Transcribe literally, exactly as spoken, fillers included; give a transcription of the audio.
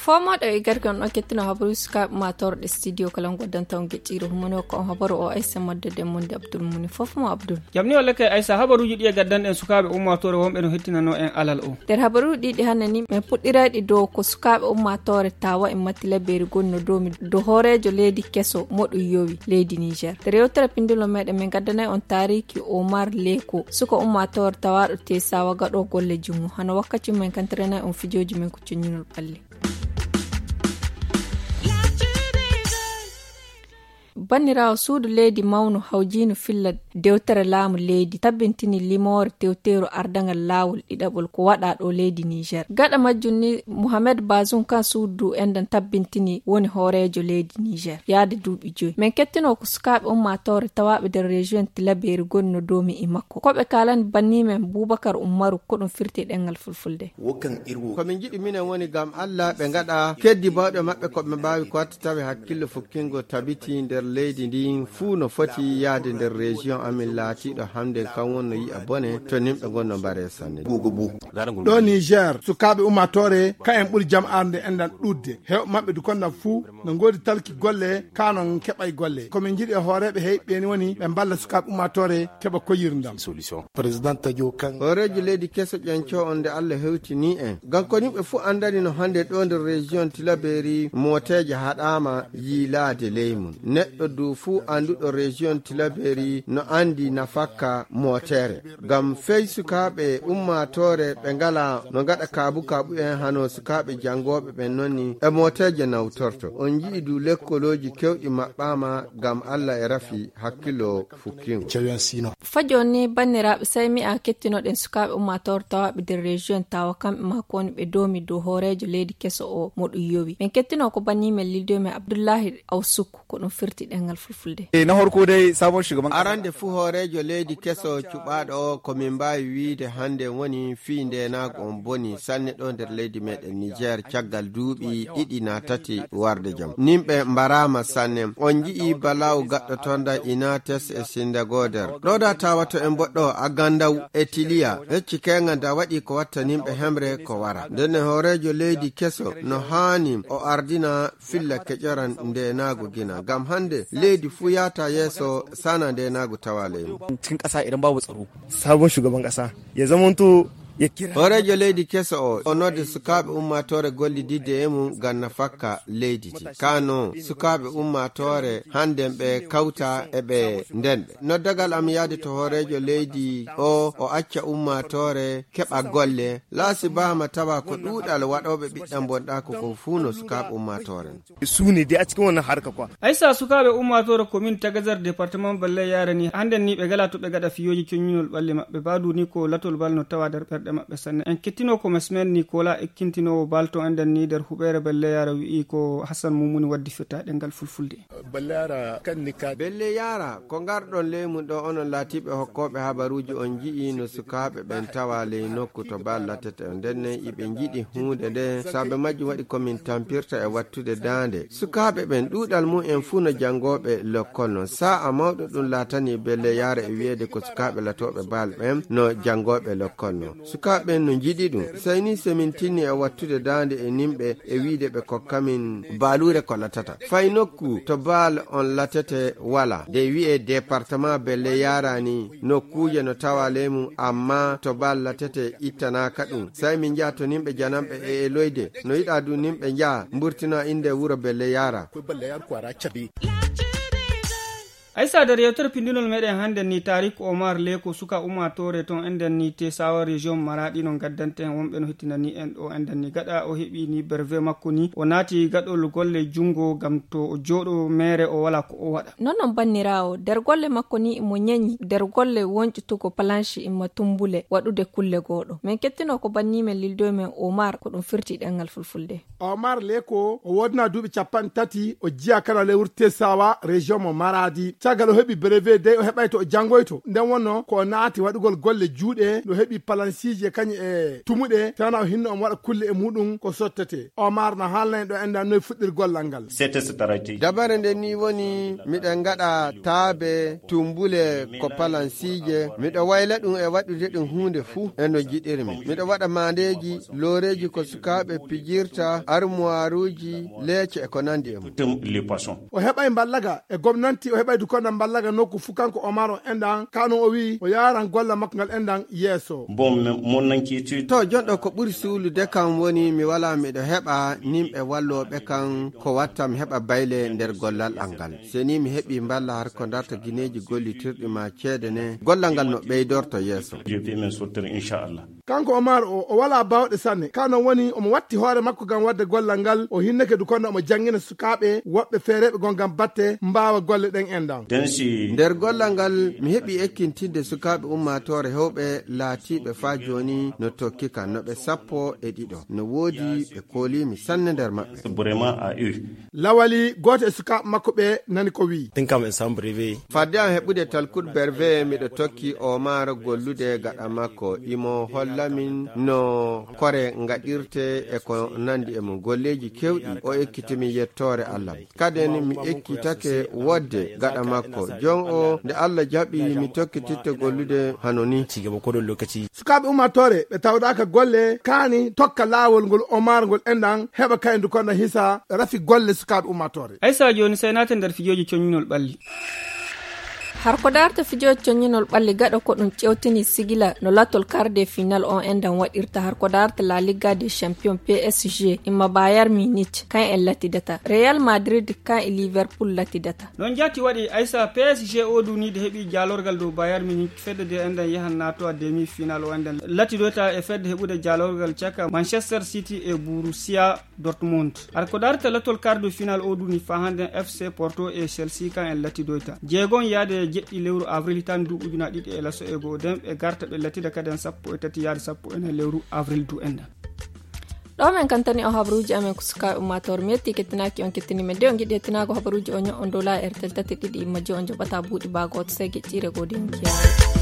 Fomoɗo e gardi on ɗon kettino habaruuji sukaaɓe ummaatoore ɗe studio kala goddanta on geɗɗiiro humano ko on habaru o aysa madde de monde abdul muni fof mo abdul. Jam ni walla kay aysa habaruuji ɗi e gaddanɗen sukaaɓe ummaatoore wonɓe no hettinano en alal o. Nder habaruuji ɗiɗi hannde ni men puɗɗirayɗi dow ko sukaaɓe ummaatoore tawa e matti labbeeri goni no doomi dow hooreejo leydi keso moɗum yowi leydi niger. Nder yewtere pindilo meɗen men gaddanay on taariki omar leko suka ummaatoore tawaɗo tesawa gaɗo golle jungo hano wakkati men kantiranay on fijooji men ko coññinol ɓalli. Banniraawo suudu leydi mawnu hawjiinu filla dewtere laamu leydi tabbintini limoore tewteeru ardangal laawol ɗiɗaɓol ko waɗa ɗo leydi niger gaɗa majjum ni mohamed bazum kan suudu enɗan tabbintini woni hooreejo leydi niger yaade duuɓi joyi men kettino ko sukaaɓe ummaatoore tawaaɓe nder région tilabeeri goni no doomi e makko ko ɓe kaalani banni men bubakar ummaru ko ɗum firti ɗengal fulfulde. Ko min njiɗi minen woni ngam allah ɓe ngaɗa keddi bawɗe maɓɓe ko ɓe mbaawi ko watta tawi hakkille fukkingo tabiti nder leydi ndin fuu no foti yahde nder région amin laatiiɗo hamden kan wonno yi'a bone to nimɓe ngonno mbare sanne. Ɗo niger sukaaɓe ummaatoore ka en ɓuri jam'aare nde enɗan ɗuɗde hew maɓɓe dukonɗan fuu no ngoodi talki golle kanon keɓay golle ko min njiɗi e hooreeɓe heyɓe ni woni ɓe mballa sukaaɓe ummaatoore keɓa koyirndam. Hooreejo leydi keso ƴanco on nde allah hewtini en ngam ko yimɓe fuu anndani no hannde ɗo nder région tilaberi mooteeje haɗaama yiilaade ley mum neɗɗo du fuu annduɗo région tilaberi no anndi nafakka mootere ngam fey sukaaɓe ummaatoore ɓe ngala no ngaɗa kaabu kaabu en hano sukaaɓe janngooɓe ɓen nonni e mooteeje nawtorto on nji'i du lekkolooji kewɗi maɓɓaama ngam allah e rafi hakkilo fukkingo. Fa jooni ni banniraaɓe sey mi a kettinoɗen sukaaɓe ummaatoore tawaaɓe nder région tawa kamɓe maa ko woni ɓe doomi dow hooreejo leydi keso o mo ɗum yowi men kettino ko banni men lildoy men abdullahi awsuk ko ɗum firti ɗengal fulfulde. Arande fuu hooreejo leydi keso cuɓaaɗo o ko min mbaawi wiide hannde woni fii ndeenaagu on boni sanne ɗo nder leydi meɗen niger caggal duuɓi ɗiɗi na tati warde jam nimɓe mbaraama sanne on nji'i balaw gaɗɗotonda inates e sindagoder ɗoda tawato en mboɗɗo a gandaw e tiliya hecci kenga nda waɗi ko watta nimɓe hemre ko wara ndenne hooreejo leydi keso no haani o ardina filla keƴoran ndenaagu gina ngam hannde leydi fuu yaata yeeso sana ndenaagu tawa leymu. Cikin ƙasa idan babu tsaro sabon shugaban ƙasa ya zamanto ya kira hooreejo leydi keso o o nodde sukaaɓe ummaatoore gollididde e mum ngam nafakka leydi ndi kano sukaaɓe ummaatoore hannden ɓe kawta e ɓe ndenɓe noddagal am yahde to hooreejo leydi o o acca ummaatoore keɓa golle laasi bahama tawa ko ɗuuɗal waɗooɓe ɓiɗɗan bonɗaako ko fuu no sukaaɓe ummaatoore. Su ne dai a cikin wannan harka kwa. Aysa sukaaɓe ummaatoore commune tagazar département balle yaare ni hannden ni ɓe ngala to ɓe ngaɗa fiyooji coññinol ɓalli maɓɓe baadu ni ko latol bal no tawa nder ɓerɗe maɓɓe sanne en kettino ko masmen nicolas ekkintinoowo bal to enɗen ni nder huɓeere balle yaare wi'i ko hassan mumuni waddi firta ɗengal fulfulde. Belle yara ko ngarɗon ley mum ɗo onon laatiiɓe hokkooɓe habaruuji on nji'i no sukaaɓe ɓen tawa ley nokku to bal latete on nden nen iɓe njiɗi huunde nde saabe majjum waɗi ko min tampirta e wattude daande sukaaɓe ɓen ɗuuɗal mum en fuu no janngooɓe lokkol non sa'a mawɗo ɗum laatani belle yaara e wiyeede ko sukaaɓe latooɓe bal ɓen no janngooɓe lokkol non sukaaɓe ɓen no njiɗi ɗum sey ni so min tinni e wattude daande e nimɓe e wiide ɓe kokkamin baaluure ko latata fay nokku to baal on latete wala nde wi'e département belle yarani nokkuuje no tawa ley mum amma to baal latete ittanaka ɗum sey min njaha to nimɓe jananɓe e eloyde no yiɗa du nimɓe njaha mburtina innde wuro belle yara. Aysa nder yewtere pindinol meɗen hannden ni tarik omar leko suka ummaatoore ton enɗen ni tesawa région maraɗi no gaddanten wonɓe no hettinani en ɗo enɗen ni gaɗa o heɓi ni berve makko ni o naati gaɗol golle junngo ngam to o jooɗo meere o wala ko o waɗa. Non non banniraawo nder golle makko ni imo ñañi nder golle wonƴutugo palanche imma tumbule waɗude kulle gooɗo men kettino ko banni men lildoy men omar ko ɗum firti ɗengal fulfulde. Omar leko o woodana duuɓi capanɗe tati o jiya kala ley wuro tesawa région mo maradi. Tagal o heɓi brevet dey o heɓay to o janngoyto. Nden wonno ko o naati waɗugol golle juuɗe, no heɓi palansiije kañum e tumuɗe, tana o hinno omo waɗa kulle e muɗum ko sottete. Omar no haalna en ɗo enɗan noy fuɗɗir gollal ngal. Dabare nden ni woni miɗen ngaɗa taabe, tumbule ko palansiije. Miɗo wayla ɗum e waɗude ɗum huunde fuu e no jiɗirmi. Miɗo waɗa maandeeji, looreeji ko sukaaɓe pijirta, armuwaaruuji, leece e ko nandi e mum. O heɓay mballaga e gomnanti, o heɓay dukonda mballaga nokku fuu kanko Omar on enɗan. Ka non o wi'i o yaaran golla makko ngal enɗan yeeso. To jonɗo ko ɓuri suulude kam woni mi wala miɗo heɓa nimɓe wallooɓe kam ko watta mi heɓa bayle nder gollal an ngal. Se ni mi heɓi mballa har ko darta gineeji gollitirɗi ma ceede ne, gollal ngal no ɓeydorto yeeso. Kanko Omar o, o wala bawɗe sanne. Ka non woni omo watti hoore makko ngam wadde gollal ngal. O hinnake dukonda omo janngina sukaaɓe woɓɓe feereeɓe gon ngam batte mbaawa golle ɗen enɗan. Nder gollal ngal mi heɓi ekkintinde sukaaɓe ummaatoore hewɓe laatiiɓe faa jooni no tokki kan no ɓe sappo e ɗiɗo. No woodi ɓe kooliimi sanne nder maɓɓe. Lawali gooto e sukaaɓe makko ɓe nani ko wi'i. Fadde am heɓude talkut berve miɗo tokki Omar gollude gaɗa makko. Imo hollamin no kore ngaɗirte e ko nandi e mum. Golleeji kewɗi o ekkitimi yettoore Allah. Kaden mi ekkitake wodde gaɗa makko. Jon o nde Allah jaɓi mi tokkititte gollude hano ni. Sukaaɓe ummaatoore ɓe tawɗaaka golle kaani tokka laawol ngol Omar ngol enɗan heɓa kayen dukonda hisa rafi golle sukaaɓe ummaatoore. Aysa jooni sey naate nder fijooji coññinol ɓalli. Har ko daarta fijooji coññinol ɓalli gaɗa ko ɗum ƴewtini sigila no latol quart de final on enɗan waɗirta har ko daarta La Liga des Champions P S G imma Bayern Munich kan en latidata. Real Madrid kan e Liverpool latidata. Non jatti waɗi Aysa P S G o duniide heɓi jaalorgal dow Bayern Munich fedde de enɗan yahan naatowa demi final o enɗan latidoyta e fedde heɓude jaalorgal caka Manchester City e Borussia Dortmund. Har ko darta latol quart de final o duni fa handen F C Porto e Chelsea kan en latidoyta. Jeegon yaade e jeɗɗi lewru avril tan duuɓi ujuna ɗiɗi e laso e goo den ɓe garta ɓe latida kaden sappo e tati yaade sappo e nayi lewru avril du enɗan. Ɗo men kantani o habaruuji amen ko sukaaɓe ummaatoore mi yetti kettinaaki on kettini men de on giɗi hettinaago habaruuji o ño'on dow laa R T L tati ɗiɗi imma je on joɓata buuɗi baa gooto sey geƴƴiire goo de on kiyaare.